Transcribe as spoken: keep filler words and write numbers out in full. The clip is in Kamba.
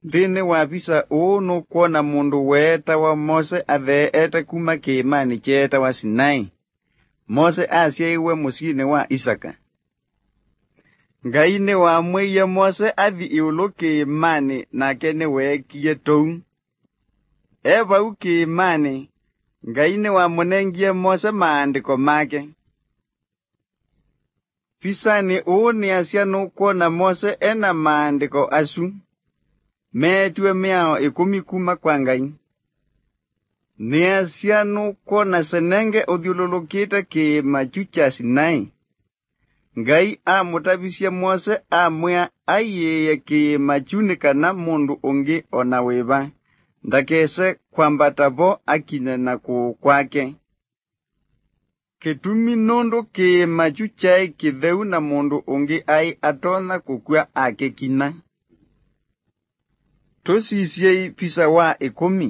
Nthĩnĩ wa visa ũũ nũkwona mũndũ weetawa Mose atheeete kuma kĩĩmanĩ kyeetawa Sinai. Mose asyaĩwe mũsyĩnĩ wa Isaka. Ngai nĩwamwĩie Mose athi ĩũlũ kĩĩmanĩ, nake nĩweekie tũu. E vau kĩĩmanĩ, Ngai nĩwamũnengie Mose maandĩko make. Visanĩ ũũ nĩasya nũkwona Mose e na maandĩko asu. Meetiwe Mĩao ĩkũmi kuma kwa Ngai. Nĩasya nũkwona senenge ũthyũlũlũkĩte kĩĩma kyu kya Sinai. Ngai amũtavisye Mose amwĩa aiĩĩe kĩĩma kyu nĩ kana mũndũ ũngĩ o na wĩva ndakese kwambata vo akinye na kũũ kwake. Kĩtumi nũndũ kĩĩma kyu kyaĩ kĩtheu na mũndũ ũngĩ aĩ atonya kũkw'a akĩkinya. Tũsisyei visa wa ĩkũmi.